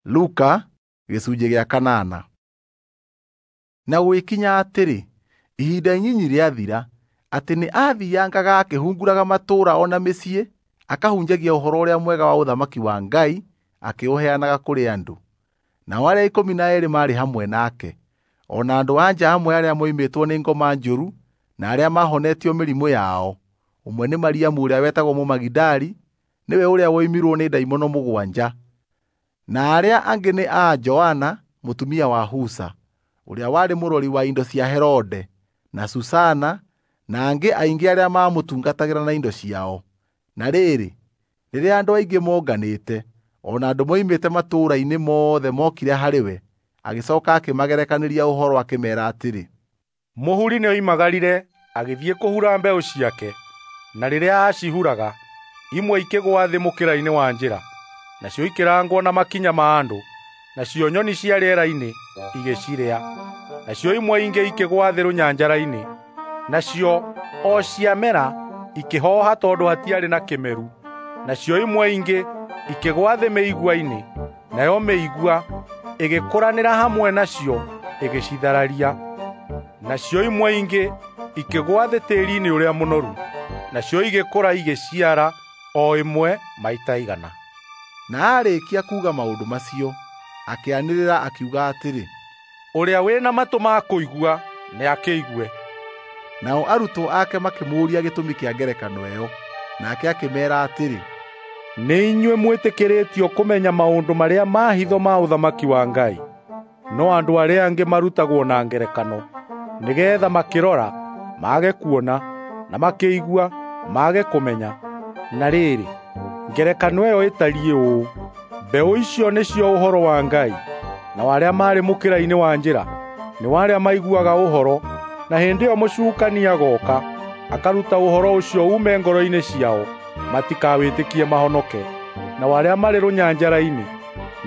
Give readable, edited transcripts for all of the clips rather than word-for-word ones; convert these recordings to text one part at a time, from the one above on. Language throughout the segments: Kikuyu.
Luka gĩcunjĩ gĩa kanana. Na gũgĩkinya atĩrĩ, ihinda inyinyi rĩathira, atĩ nĩ aathiangaga akĩhunguraga matũũra o na mĩciĩ, akahunjagia Ũhoro-ũrĩa-Mwega wa ũthamaki wa Ngai, akĩũheanaga kũrĩ andũ. Nao arĩa 12 maarĩ hamwe nake, o na andũ-a-nja amwe arĩa moimĩtwo nĩ ngoma njũru na arĩa maahonetio mĩrimũ yao. Ũmwe nĩ Mariamu ũrĩa wetagwo Mũmagidali, nĩwe ũrĩa woimirwo nĩ ndaimono 7, na arĩa angĩ nĩ a Joana mũtumia wa Husa, ũrĩa warĩ mũrori wa indo cia Herode, na Susana, na angĩ aingĩ arĩa maamũtungatagĩra na indo ciao. Na rĩrĩ, rĩrĩa andũ aingĩ monganĩte, o na andũ moimĩte matũũra-inĩ mothe mokire harĩ we, agĩcooka akĩmagerekanĩria ũhoro akĩmeera atĩrĩ, Mũhuri nĩoimagarire agĩthiĩ kũhura mbeũ ciake, na rĩrĩa aacihuraga, imwe ikĩgũa thĩ mũkĩra-inĩ wa njĩra, nacio ikĩrangwo na makinya ma andũ, nacio nyoni cia rĩera-inĩ igĩcirĩa. Nacio imwe ingĩ ikĩgũa thĩ rũnyanjara-inĩ, nacio o ciamera ikĩhooha tondũ hatiarĩ na kĩmeru. Nacio imwe ingĩ ikĩgũa thĩ mĩigua-inĩ, nayo mĩigua ĩgĩkũranĩra hamwe nacio ĩgĩcithararia. Nacio imwe ingĩ ikĩgũa thĩ tĩĩri-inĩ ũrĩa mũnoru, nacio igĩkũra igĩciara o ĩmwe maita 100. Na aarĩkia kuuga maũndũ macio, akĩanĩrĩra akiuga atĩrĩ, Ũrĩa wĩ na matũ ma kũigua nĩakĩigue. Nao arutwo ake makĩmũũria gĩtũmi kĩa ngerekano ĩyo. Nake akĩmeera atĩrĩ, Nĩ inyuĩ mwĩtĩkĩrĩtio kũmenya maũndũ marĩa ma hitho ma ũthamaki wa Ngai, no andũ arĩa angĩ marutagwo na ngerekano, nĩgeetha makĩrora mage kuona, na makĩigua mage kũmenya. Na rĩrĩ, ngerekano ĩyo ĩtariĩ ũũ: mbeũ icio nĩcio ũhoro wa Ngai, nao arĩa marĩ mũkĩra-inĩ wa njĩra nĩ arĩa maiguaga ũhoro, na hĩndĩ ĩyo mũcukani agooka akaruta ũhoro ũcio uume ngoro-inĩ ciao, matikawĩtĩkie mahonoke. Nao arĩa marĩ rũnyanjara-inĩ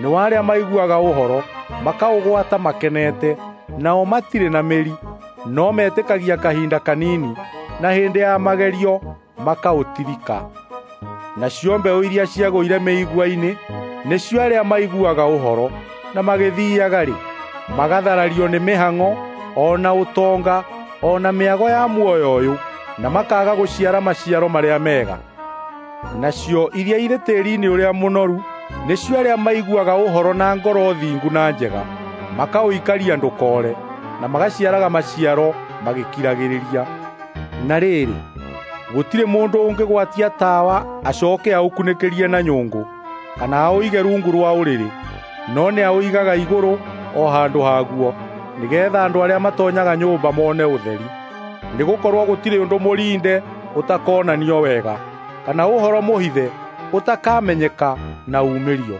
nĩ arĩa maiguaga ũhoro, makaũgwata makenete, nao matirĩ na mĩri, no metĩkagia kahinda kanini, na hĩndĩ ya magerio makaũtirika. Nacio mbeũ iria ciagũire mĩigua-inĩ nĩcio arĩa maiguaga ũhoro, na magĩthiiaga-rĩ, magatharario nĩ mĩhang'o, o na ũtonga, o na mĩago ya muoyo ũyũ, na makaaga gũciara maciaro marĩa mega. Nacio iria irĩ tĩĩri-inĩ ũrĩa mũnoru nĩcio arĩa maiguaga ũhoro na ngoro thingu na njega, makaũikaria ndũkoore, na magaciaraga maciaro magĩkiragĩrĩria. Na rĩrĩ, gũtirĩ mũndũ ũngĩgwatia tawa acooke aũkunĩkĩrie na nyũngũ, kana aũige rungu rwa ũrĩrĩ, no nĩaũigaga igũrũ o handũ haguo, nĩgeetha andũ arĩa matoonyaga nyũmba mone ũtheri. Nĩgũkorwo gũtirĩ ũndũ mũrinde ũtakonanio wega, kana ũhoro mũhithe ũtakamenyeka na uumĩrio.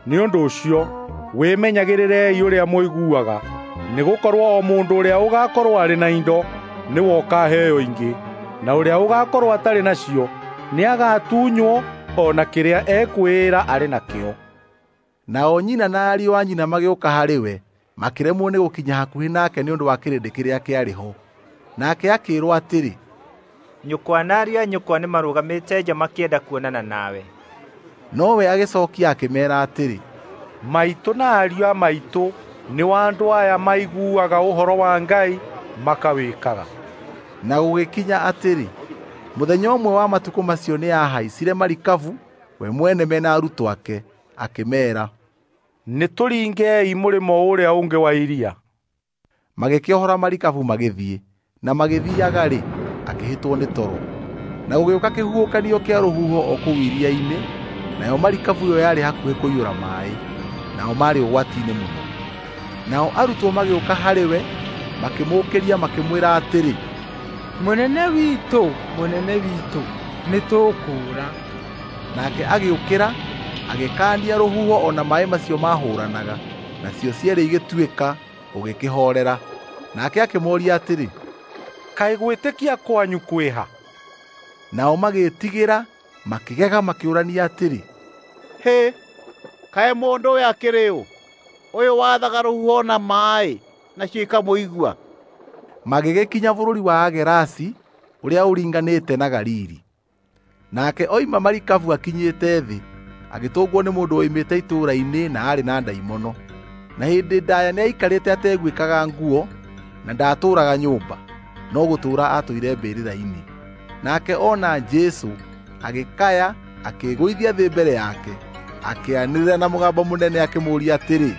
Nĩ ũndũ ũcio, wĩmenyagĩrĩrei ũrĩa mũiguaga, nĩgũkorwo o mũndũ ũrĩa ũgaakorwo arĩ na indo nĩwe ũkaaheo ingĩ, na ũrĩa ũgaakorwo atarĩ nacio nĩagatunywo o na kĩrĩa ekwĩĩra arĩ nakĩo. Nao nyina na ariũ a nyina magĩũka harĩ we, makĩremwo nĩ gũkinya hakuhĩ nake nĩ ũndũ wa kĩrĩndĩ kĩrĩa kĩarĩ ho. Nake akĩĩrwo atĩrĩ, Nyũkwa na ariũ a nyũkwa nĩmarũgamĩte nja makĩenda kuonana nawe. Nowe agĩcookia akĩmeera atĩrĩ, Maitũ na ariũ a maitũ nĩ andũ aya maiguaga ũhoro wa Ngai makawĩkaga. Na gũgĩkinya atĩrĩ, mũthenya ũmwe wa matukũ macio nĩahaicire marikabu we mwene mena arutwo ake, akĩmeera, Nĩtũringei mũrĩmo ũrĩa ũngĩ wa iria. Magĩkĩohora marikabu magĩthiĩ, na magĩthiiaga-rĩ, akĩhĩtwo nĩ toro. Na gũgĩũka kĩhuhũkanio kĩa rũhuho o kũu iria-inĩ, nayo marikabu ĩyo yarĩ hakuhĩ kũiyũra maaĩ, nao maarĩ ũgwati-inĩ mũno. Nao arutwo magĩũka harĩ we, makĩmũũkĩria makĩmwĩra atĩrĩ, Mũnene witũ, mũnene witũ, nĩtũkũũra. Nake agĩũkĩra, agĩkaania rũhuho o na maaĩ macio maahũũranaga, nacio cierĩ igĩtuĩka, gũgĩkĩhoorera. Nake akĩmooria atĩrĩ, Kaĩ gwĩtĩkia kwanyu kwĩha? Nao magĩĩtigĩra, makĩgega makĩũrania atĩrĩ, Hĩ, kaĩ mũndũ ũyũ akĩrĩ ũ, ũyũ wathaga rũhuho na maaĩ, nacio ikamũigua? Magĩgĩkinya bũrũri wa Agerasi ũrĩa ũringanĩte na Galili. Nake oima marikabu akinyĩte thĩ, agĩtũngwo nĩ mũndũ woimĩte itũũra-inĩ na aarĩ na ndaimono. Na hĩndĩ ndaya nĩaikarĩte ateguĩkaga nguo na ndaatũũraga nyũmba, no gũtũũra aatũire mbĩrĩra-inĩ. Nake ona Jesũ agĩkaya akĩĩgũithia thĩ mbere yake, akĩanĩrĩra na mũgambo mũnene akĩmũũria atĩrĩ,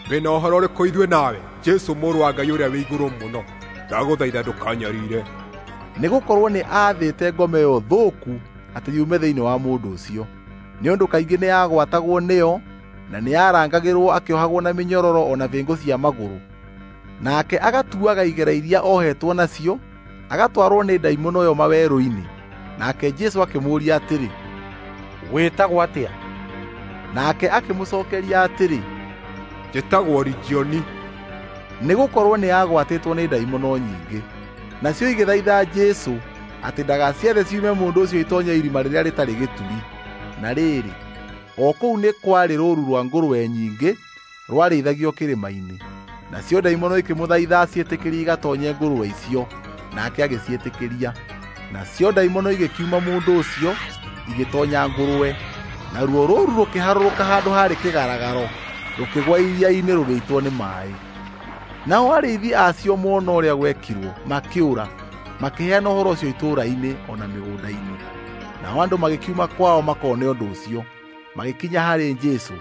Wĩna ũhoro ũrĩkũ ithuĩ nawe, Jesũ mũrũ wa Ngai ũrĩa wĩ igũrũ mũno? Ndagũthaitha ndũkanyariire. Nĩgũkorwo nĩ aathĩte ngoma ĩyo thũku atĩ yume thĩinĩ wa mũndũ ũcio. Nĩ ũndũ kaingĩ nĩyagwatagwo nĩyo na nĩarangagĩrwo akĩohagwo na mĩnyororo o na bĩngũ cia magũrũ. Nake agatuaga igera iria ohetwo nacio, agatwarwo nĩ ndaimono ĩyo mawerũ-inĩ. Nake Jesũ akĩmũũria atĩrĩ, Wĩtagwo atĩa? Nake akĩmũcookeria atĩrĩ, Njĩtagwo Ligioni. Nĩgũkorwo nĩagwatĩtwo nĩ ndaimono nyingĩ. Nacio igĩthaitha Jesũ atĩ ndagaciathe ciume mũndũ ũcio itonye irima rĩrĩa rĩtarĩ gĩturi. Na rĩrĩ, o kũu nĩ kwarĩ rũũru rwa ngũrwe nyingĩ rwarĩithagio kĩrĩma-inĩ. Nacio ndaimono ikĩmũthaitha aciĩtĩkĩrie igatonye ngũrwe icio, nake agĩciĩtĩkĩria. Nacio ndaimono igĩkiuma mũndũ ũcio igĩtonya ngũrwe, naruo rũũru rũkĩharũrũka handũ haarĩ kĩgaragaro, rũkĩgwa iria-inĩ rũgĩitwo nĩ maaĩ. Nao arĩithi acio mona ũrĩa gwekirwo makĩũra, makĩheana ũhoro ũcio itũũra-inĩ o na mĩgũnda-inĩ. Nao andũ magĩkiuma kwao makone ũndũ ũcio, magĩkinya harĩ Jesũ,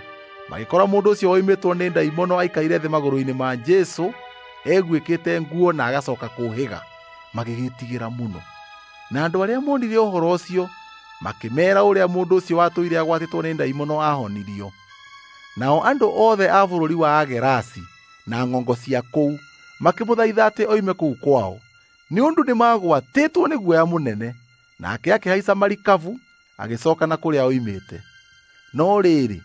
magĩkora mũndũ ũcio woimĩtwo nĩ ndaimono aikaire thĩ magũrũ-inĩ ma Jesũ, eguĩkĩte nguo na agacoka kũũhĩga, magĩgĩtigĩra mũno. Na andũ arĩa monire ũhoro ũcio makĩmeera ũrĩa mũndũ ũcio watũire agwatĩtwo nĩ ndaimono ahonirio. Nao andũ othe a bũrũri wa Agerasi na ng'ongo cia kũu makĩmũthaitha atĩ oime kũu kwao, nĩ ũndũ nĩmagwatĩtwo nĩ guoya mũnene. Nake akĩhaica marikabu agĩcooka na kũrĩa oimĩte. No rĩrĩ,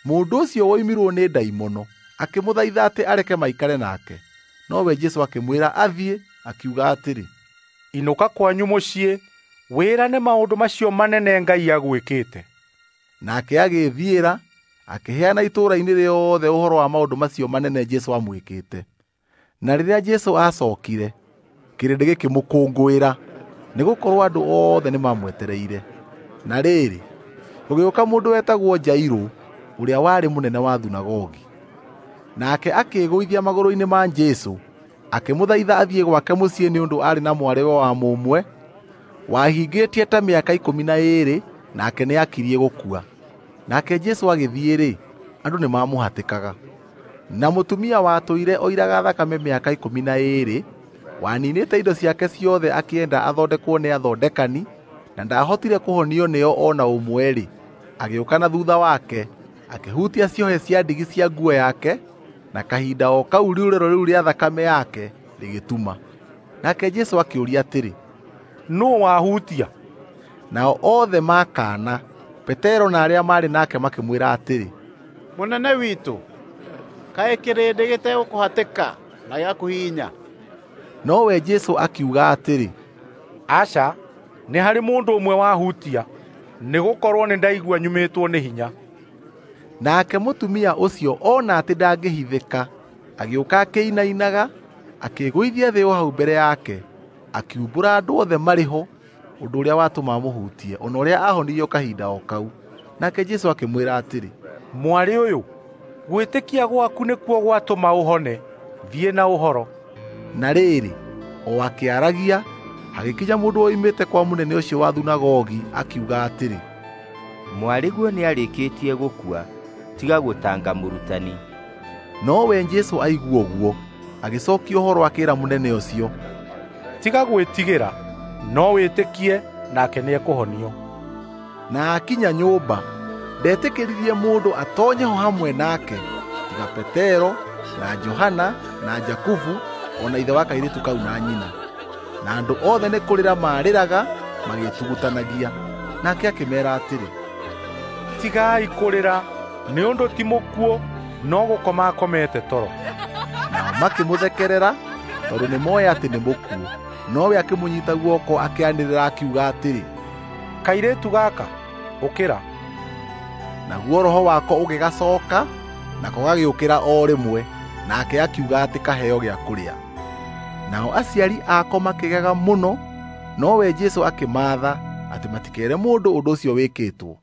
mũndũ ũcio woimirwo nĩ ndaimono akĩmũthaitha atĩ areke maikare nake. Nowe Jesũ akĩmwĩra athiĩ, akiuga atĩrĩ, Inũka kwanyu mũciĩ, wĩrane maũndũ macio manene Ngai agwĩkĩte. Nake agĩĩthiĩra akĩheana itũũra-inĩ rĩothe ũhoro wa maũndũ macio manene Jesũ amwĩkĩte. Na rĩrĩa Jesũ aacookire, kĩrĩndĩ gĩkĩmũkũngũĩra, nĩgũkorwo andũ othe nĩmamwetereire. Na rĩrĩ, gũgĩũka mũndũ wetagwo Jairũ, ũrĩa warĩ mũnene wa thunagogi. Nake akĩĩgũithia magũrũ-inĩ ma Jesũ, akĩmũthaitha athiĩ gwake mũciĩ nĩ ũndũ aarĩ na mwarĩwe wa mũmwe wahingĩtie ta mĩaka 12, nake nĩakirie gũkua. Nake Jesũ agĩthiĩ-rĩ, andũ nĩmamũhatĩkaga. Na mũtumia watũire oiraga thakame mĩaka 12, waninĩte indo ciake ciothe akĩenda athondekwo nĩ athondekani, na ndaahotire kũhonio nĩo o na ũmwe-rĩ, agĩũka na thuutha wake, akĩhutia ciohe cia ndigi cia nguo yake, na kahinda o kau riurĩro rĩu rĩa thakame yake rĩgĩtuma. Nake Jesũ akĩũria atĩrĩ, Nũũ wahutia? Nao othe makana. Petero na arĩa maarĩ nake makĩmwĩra atĩrĩ, Mũnene witũ, kaĩ kĩrĩndĩ gĩtegũkũhatĩka na gĩgakũhihinya? Nowe Jesũ akiuga atĩrĩ, Aca, nĩ harĩ mũndũ ũmwe wahutia, nĩgũkorwo nĩndaigua nyumĩtwo nĩ hinya. Nake mũtumia ũcio ona atĩ ndangĩhithĩka, agĩũka akĩinainaga, akĩĩgũithia thĩ o hau mbere yake, akiumbũra andũ othe marĩ ho ũndũ ũrĩa watũma amũhutie, o na ũrĩa aahonirio kahinda o kau. Nake Jesũ akĩmwĩra atĩrĩ, Mwarĩ ũyũ, gwĩtĩkia gwaku nĩkuo gwatũma ũhone. Thiĩ na ũhoro. Na rĩrĩ, o akĩaragia, hagĩkinya mũndũ woimĩte kwa mũnene ũcio wa thunagogi akiuga atĩrĩ, Mwarĩguo nĩarĩkĩtie gũkua, tiga gũtanga mũrutani. Nowe Jesũ aigua ũguo, agĩcookia ũhoro akĩĩra mũnene ũcio, Tiga gwĩtigĩra, no wĩtĩkie, nake nĩekũhonio. Na akinya nyũmba, ndetĩkĩririe mũndũ atonye ho hamwe nake, tiga Petero na Johana na Jakubu o na ithe wa kairĩtu kau na nyina. Na andũ othe nĩ kũrĩra maarĩraga magĩtugutanagia. Nake akĩmeera atĩrĩ, Tigai kũrĩra, nĩ ũndũ ti mũkuũ, no gũkoma akomete toro. Nao makĩmũthekerera tondũ nĩmooĩ atĩ nĩ mũkuũ. Nowe akĩmũnyiita guoko akĩanĩrĩra akiuga atĩrĩ, Kairĩtu gaka, ũkĩra. Naguo roho wako ũgĩgacooka, nako gagĩũkĩra o rĩmwe, nake akiuga atĩ kaheo gĩa kũrĩa. Nao aciari ako makĩgega mũno, nowe Jesũ akĩmaatha atĩ matikeere mũndũ ũndũ ũcio wĩkĩtwo.